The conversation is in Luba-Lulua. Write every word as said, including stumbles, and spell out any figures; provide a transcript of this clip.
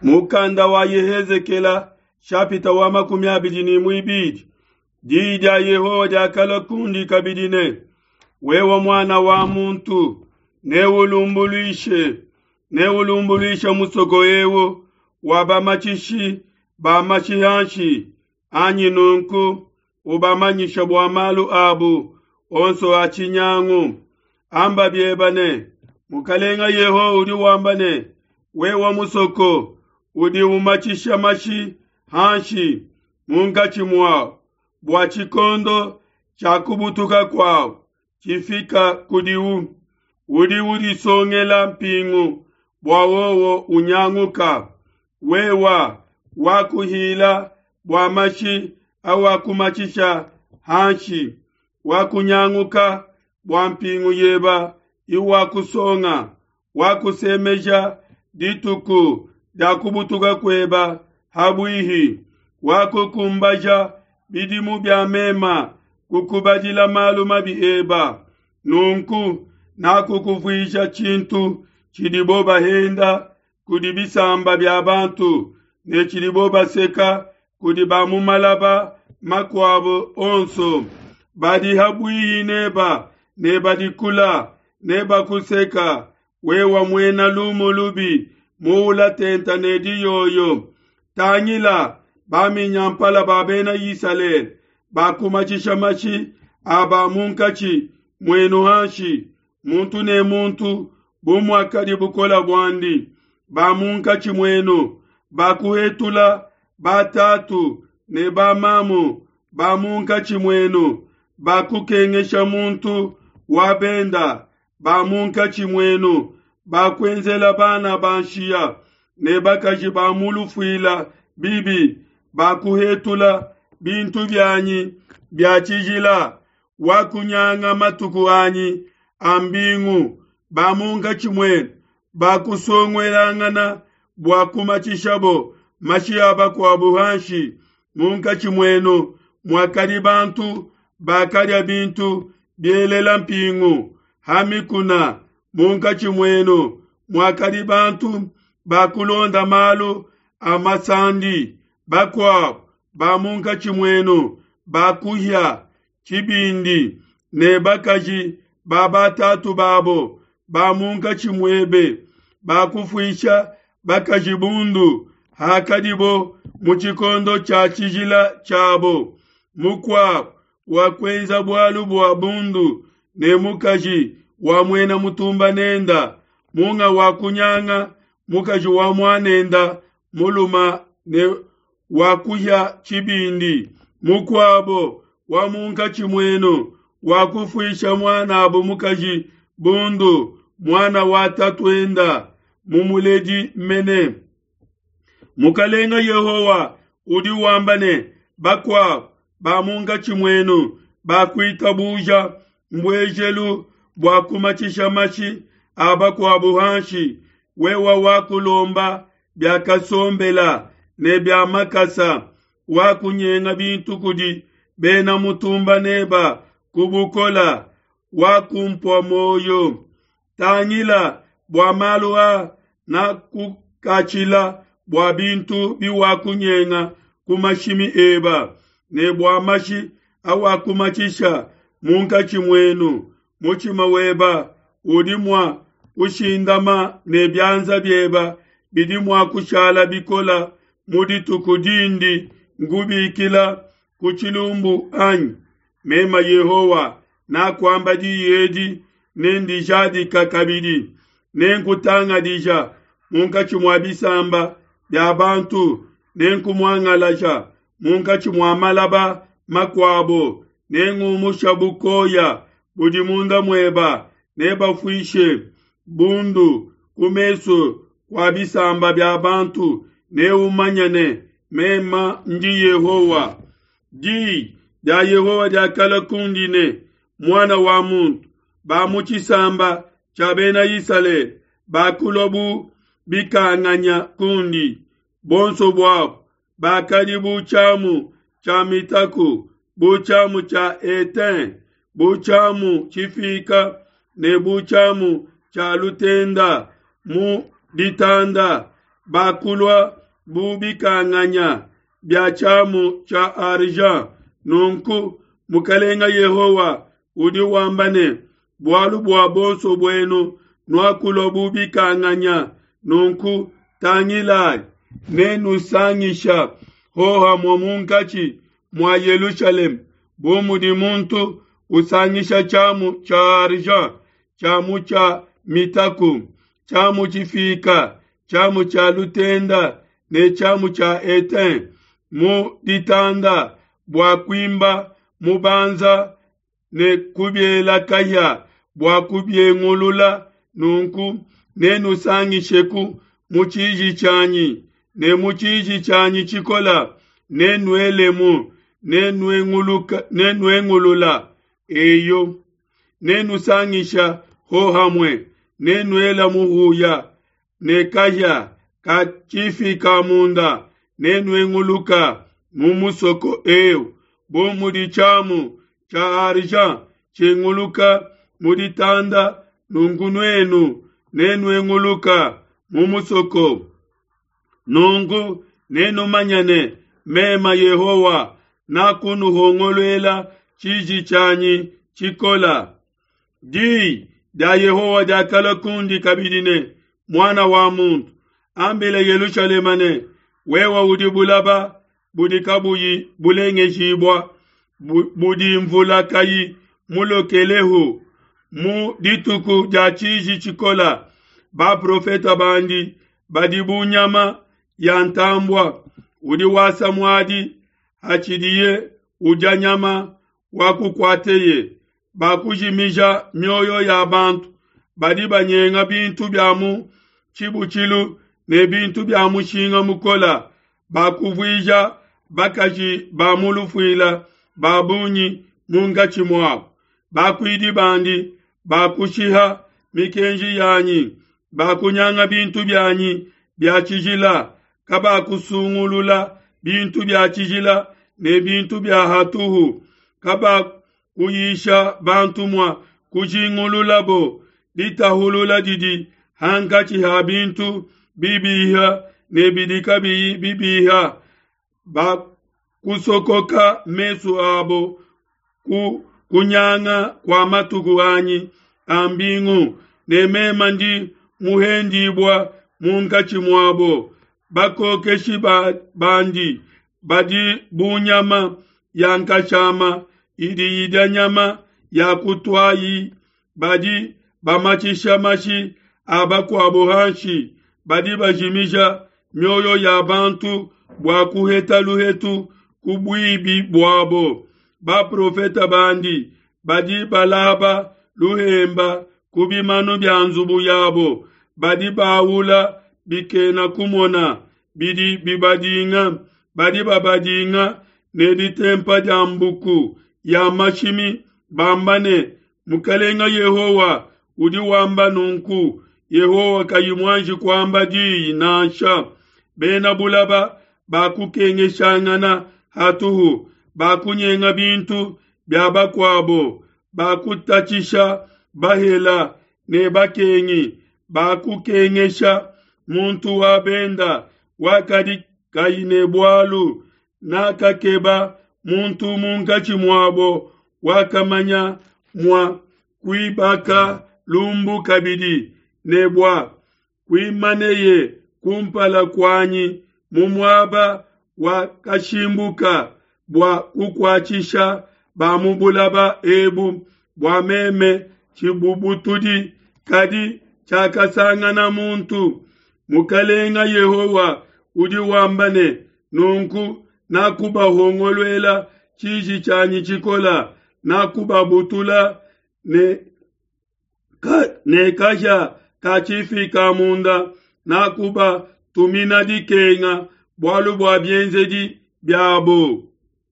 Mukanda wa Yehezekela shapita wa makumi abidi ne muibidi. Diyi dia Yehowa diakalua kundi kabidi ne, wewe muana wa muntu, neulumbuluishe neulumbuluishe musoko eu wa bamatshishi ba mashi hanshi anyi? Nunku ubamanyishe bua malu abu onso a tshinyangu. Amba bieba ne, Mukalenga Yehowa udi wamba ne, wewe musoko udi umatshisha mashi hanshi munkatshi muawu, bua tshikondo tshia kubutuka kuawu tshifika kudiwu, udi udisongela mpingu bua wowo unyanguka. Wewa wakuhila bua mashi awakumatshisha hanshi, wakunyanguka bua mpingu yeba iwakusonga, wakusemeja dituku dia kubutuka kueba habuihi, wakukumbaja bidimu bia mema kukubadila malu mabi eba. Nunku nakukuvuija tshintu tshidibo bahenda kudi bisamba bia bantu ne tshidibo baseka kudi ba mu malaba makuabo onso. Badi habuihi neba ne badi kula ne bakuseka, wewa muena lumu lubi muula tenta ne diyoyo. Tangila baminyampala ba bena Isalele bakumatshisha mashi aba munkatshi muenu hanshi, muntu ne muntu bu muakadi bukola buandi. Ba munkatshi muenu bakuhetula batatu ne bamamu ba munkatshi muenu bakukengesha muntu wa benda. Ba munkatshi muenu bakuenzela bana ba nshiya ne bakaji ba mu lufuila bibi, bakuhetula bintu bianyi bia tshijila, wakunyanga matuku anyi a mbingu. Ba munkatshi muenu bakusonguelangana bua kumatshishabo mashi a bakuabo hanshi. Munkatshi muenu muakadi bantu bakadia bintu bielela mpingu ha mikuna. Munkatshi muenu muakadi bantu bakulonda malu a masandi. Bakuabo ba munkatshi muenu bakuhia tshibindi ne bakaji ba batatu babo. Ba munkatshi muebe bakufuisha bakaji bundu hakadibo mu tshikondo tshia tshijila tshiabo. Mukuabo wakuenza bualu bua bundu ne mukaji wa muena mutumba nenda, munga wakunyanga mukaji wa muanenda muluma ne wakuhia tshibindi. Mukuabo wa munkatshi muenu wakufuisha muanabo mukaji bundu, muana wa tatuenda mumuledi mene. Mukalenga Yehowa udi wamba ne, bakuabo ba munkatshi muenu bakuitabuja mbuejelu bua kumatshisha mashi a bakuabo hanshi. Wewa wakulomba bia kasombela ne bia makasa, wakunyenga bintu kudi bena mutumba neba kubukola, wakumpua moyo. Tangila bua malu a nakukatshila bua bintu biwakunyenga ku mashimi eba ne bua mashi awakumatshisha munkatshi muenu. Mutshima weba udi mua kushindama ne bianza bieba bidi mua kushala bikola mu dituku dindi ngubikila ku tshilumbu anyi? Mema Yehowa nakuamba diyi edi ne ndijadika kabidi, nenkutangadija munkatshi mua bisamba bia bantu, nenkumuangalaja munkatshi mua malaba makuabo, nengumusha bukoya budi munda mueba, nebafuishe bundu ku mesu kua bisamba bia bantu, neumanye ne mema ndi Yehowa. Diyi dia Yehowa diakalua kundi ne, muana wa muntu, ba mu tshisamba tshia bena Isalele bakulua bu bikanganya kundi, bonso buabo bakadi bu tshiamu tshia mitaku, bu tshiamu tshia etain, bu tshiamu tshifika ne bu tshiamu tshia lutenda mu ditanda. Bakulua bu bikanganya bia tshiamu tshia argent. Nunku Mukalenga Yehowa udi wamba ne, bualu bua bonso buenu nuakulua bu bikanganya, nunku tangilai, nenusangisha hohamue munkatshi mua Yelushalema bu mudi muntu usangisha tshiamu tshia argent, tshiamu tshia mitaku, tshiamu tshifika, tshiamu tshia lutenda ne tshiamu tshia etain mu ditanda bua kuimba mubanza ne kubiela kahia bua kubiengulula. Nunku nenusangisheku mu tshiji tshianyi ne mu tshiji tshianyi tshikola, nenuelemu, nenuengulula eyo, nenusangisha hohamue, nenuela muhuya ne kahia ka tshifika munda, nenuenguluka mu musoko eu bu mudi tshiamu tshia argent tshinguluka mu ditanda, nunku nuenu nenuenguluka mu musoko. Nunku nenumanye ne, mema Yehowa nakunuhongoluela tshiji tshianyi tshikola. Diyi dia Yehowa diakalua kundi kabidi ne, muana wa muntu, ambila Yelushalema ne, wewe udi bulaba budi kabuyi bulengejibua, budi mvula kayi mulokelehu mu dituku dia tshiji tshikola. Baprofeta bandi badi bu nyama ya ntambua udi wasa muadi hatshidiye udia nyama wakukuateye. Bakujimija mioyo ya bantu, badi banyenga bintu bia mu tshibutshilu ne bintu bia mushinga mukola. Bakuvuija bakaji ba mu lufuila ba bungi munkatshi muabo. Bakuidi bandi bakushiha mikenji yanyi, bakunyanga bintu bianyi bia tshijila, kabakusungulula bintu bia tshijila ne bintu bia hatuhu, kabakuyisha bantu mua kujingululabo ditahulula didi hankatshi ha bintu bibiha ne bidi kabiyi bibiha. Bakusokoka mesu abo ku kunyanga kua matuku anyi a mbingu, ne mema ndi muhendibua munkatshi muabo. Bakokeshi bandi badi bu nyama ya nkashama idi idia nyama ya kutuayi, badi bamatshisha mashi a bakuabo hanshi, badi bajimija mioyo ya bantu bua kuheta luhetu ku buibi buabo. Baprofeta bandi badi balaba luhemba ku bimanu bia nzubu yabo, badi baula bikena kumona bidi bibadinga, badi babadinga ne ditempa dia mbuku ya mashimi, bamba ne, Mukalenga Yehowa udi wamba nunku. Yehowa kayi muanji kuamba diyi nansha. Bena bulaba bakukengeshangana hatuhu, bakunyenga bintu bia bakuabo, bakutatshisha bahela ne bakengi, bakukengesha muntu wa benda wakadi kayi ne bualu. Nakakeba muntu munkatshi muabo wakamanya mua kuibaka lumbu kabidi, ne bua kuimaneye kumpala kuanyi mu muaba wa kashimbuka bua kukuatshisha ba mu bulaba ebu bua meme tshibubutudi, kadi tshiakasangana muntu. Mukalenga Yehowa udi wamba ne, nunku nakubahongoluela tshiji tshianyi tshikola, nakubabutula ne ka, ne kahia ka tshifika munda, nakubatumina dikenga bualu bua bienzedi biabo.